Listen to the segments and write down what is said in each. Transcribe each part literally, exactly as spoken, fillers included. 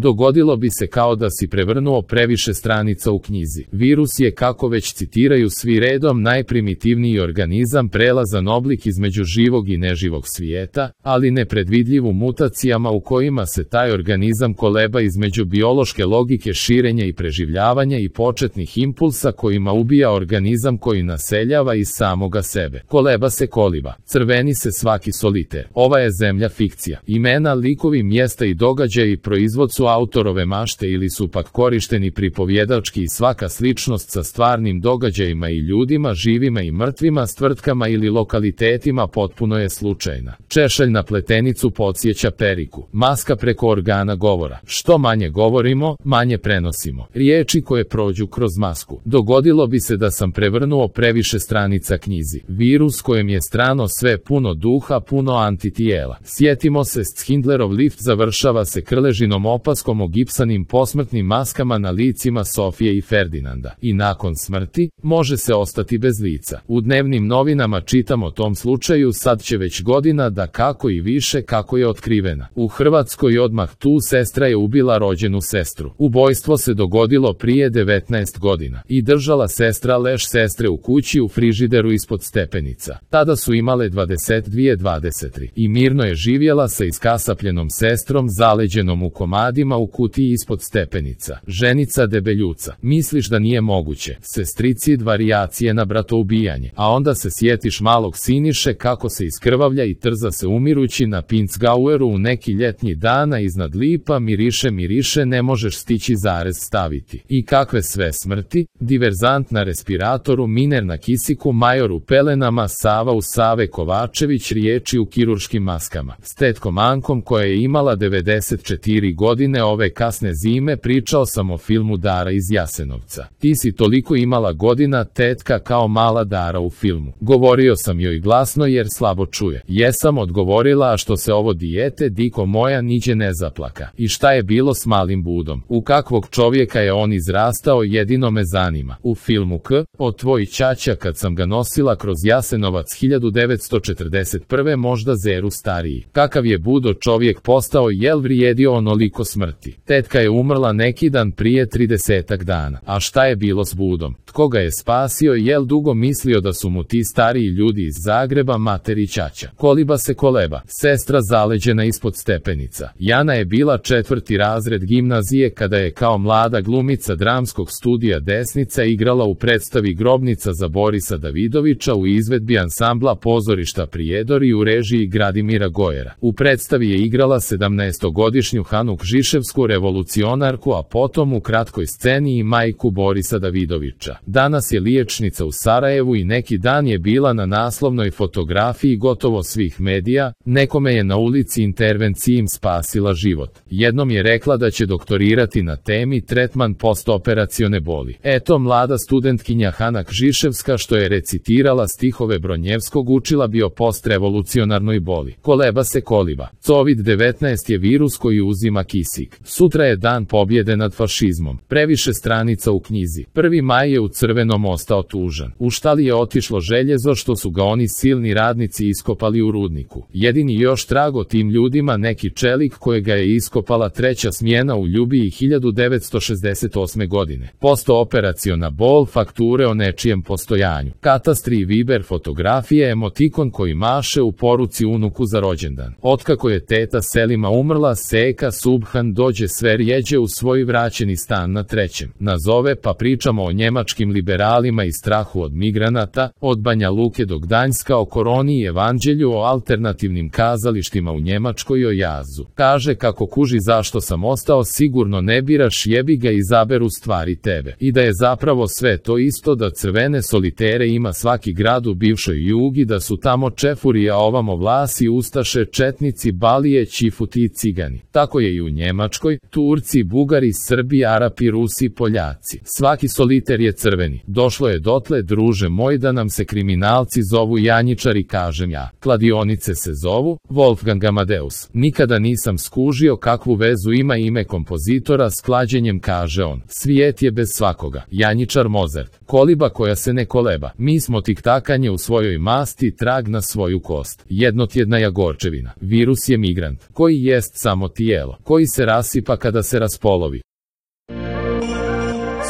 Dogodilo bi se kao da si prevrnuo previše stranica u knjizi. Virus je, kako već citiraju svi redom, najprimitivniji organizam, prelazan oblik između živog i neživog svijeta, ali nepredvidljiv u mutacijama u kojima se taj organizam koleba između biološke logike širenja i preživljavanja i početnih impulsa kojima ubija organizam koji naseljava iz samoga sebe. Koleba se koliba. Crveni se svaki soliter. Ova je zemlja fikcija. Imena, likovi, mjesta i događaji proizvod su autorove mašte ili su pak korišteni pripovjedački i svaka sličnost sa stvarnim događajima i ljudima, živima i mrtvima, s tvrtkama ili lokalitetima potpuno je slučajna. Češalj na pletenicu podsjeća periku. Maska preko organa govora. Što manje govorimo, manje prenosimo. Riječi koje prođu kroz masku. Dogodilo bi se da sam prevrnuo previše stranica knjizi. Virus kojem je strano sve, puno duha, puno antitijela. Sjetimo se, Schindlerov lift završava se krležinom opaskom o gipsanim posmrtnim maskama na licima Sofije i Ferdinanda. I nakon smrti, može se ostati bez lica. U dnevnim novinama čitam o tom slučaju, sad će već godina da kako i više kako je otkrivena. U Hrvatskoj odmah tu sestra je ubila rođenu sestru. Ubojstvo se dogodilo prije devetnaest godina. I držala sestra leš sestre u kući u frižideru ispod stepenica. Tada su imale dvadeset dvije dvadeset tri. I mirno je živjela sa iskasapljenom sestrom zaleđenom u komadima u kutiji ispod stepenica. Ženica debeljuca. Misliš da nije moguće. Sestricid varijacije na bratoubijanje. A onda se sjetiš malog Siniše kako se iskrvavlja i trza se umirući na Pinzgaueru u neki ljetnji dana iznad lipa, miriše miriše, ne možeš stići zarez staviti. I kakve sve smrti, diverzant na respiratoru, miner na kisiku, major u pelenama, Sava u Save Kovačević, riječi u kirurškim maskama. S tetkom Ankom koja je imala devedeset četiri godine ove kasne zime, pričao sam o filmu Dara iz Jasenovca. Ti si toliko imala godina, tetka, kao mala Dara u filmu. Govorio sam joj glasno jer slabo čuje. Jesam, odgovorila, a što se ovo dijete, diko moja, niđe ne zaplaka. I šta je bilo s malim Budom? U kakvog čovjeka je on izrastao, jedino me zanima. U filmu K, o tvoj ćaća, kad sam ga nosila kroz Jasenovac hiljadu devetsto četrdeset prve možda zeru stariji. Kakav je Budo čovjek postao, jel vrijedio onoliko smrti? Tetka je umrla neki dan prije tridesetak dana. A šta je bilo s Budom? Tko ga je spasio, jel dugo mislio da su mu ti stariji ljudi iz Zagreba mater i ćaća? Koliba se koleba. Sestra zaleđena ispod stepenica. Jana je bila četvrti razred gimnazije kada je kao mlada glumica dramskog studija Desnica igrala u predstavi Grobnica za Borisa Davidovića u izvedbi ansambla Pozorišta Prijedor i u režiji Gradimira Gojera. U predstavi je igrala sedamnaestogodišnju Hanu Kžiševsku revolucionarku, a potom u kratkoj sceni i majku Borisa Davidovića. Danas je liječnica u Sarajevu i neki dan je bila na naslovnoj fotografiji gotovo svih medija. Nekome je na ulici intervencijim spasila život. Jednom je rekla da će doktorirati na temi tretman postoperacione boli. Eto, mlada studentkinja Hana Kžiševska što je recitirala stihove Bronjevskog učila bi o postrevolucionarnoj boli. Koleba se koliba. kovid devetnaest je virus koji uzima kisik. Sutra je dan pobjede nad fašizmom. Previše stranica u knjizi. prvi maj je u Crvenom ostao tužan. U štali je otišlo željezo što su ga oni silni radnici iskopali u rudniku. Jedini još trag o tim ljudima neki čelik kojega je iskopala treća smjena u Ljubiji hiljadu devetsto šezdeset osme godine. Postooperaciona bol, fakture o nečijem postojanju. Katastri i Viber fotografije, emotikon koji maše u poruci unuku za rođendan. Otkako je teta Selima umrla, Seka Subhan dođe sve rjeđe u svoj vraćeni stan na trećem. Nazove pa pričamo o njemačkim liberalima i strahu od migranata, od Banja Luke do Gdanjska, o koroni i evanđelju, o alternativnim kazalištima u Njemačkoj i o jazu. Kaže kako kuži zašto sam ostao, sigurno ne biraš, jebi ga, izaberu stvari tebe. I da je zapravo sve to isto, da crvene solitere ima svaki grad u bivšoj Jugi, da su tamo čefuri, a ovamo Vlasi, Ustaše, Četnici, Balije, Čifuti i Cigani. Tako je i u Njemačkoj, Turci, Bugari, Srbi, Arapi, Rusi, Poljaci. Svaki soliter je crveni. Došlo je dotle, druže moj, da nam se kriminalci zovu janjičari, kažem ja. Kladionice se zovu Wolfgang Amadeus. Nikada nisam skužio kakvu vezu ima ime kompozitora s klađenjem, kaže on. Svijet je bez svakoga. Janjičar Mozart. Koliba koja se ne koleba. Mi smo tiktakanje u svojoj masti, trag na svoju kost. Jednotjedna jagorčevina. Virus je migrant, koji jest samo tijelo, koji se rasipa kada se raspolovi.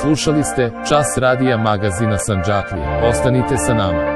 Slušali ste Čas radija magazina Sandžaklija. Ostanite sa nama.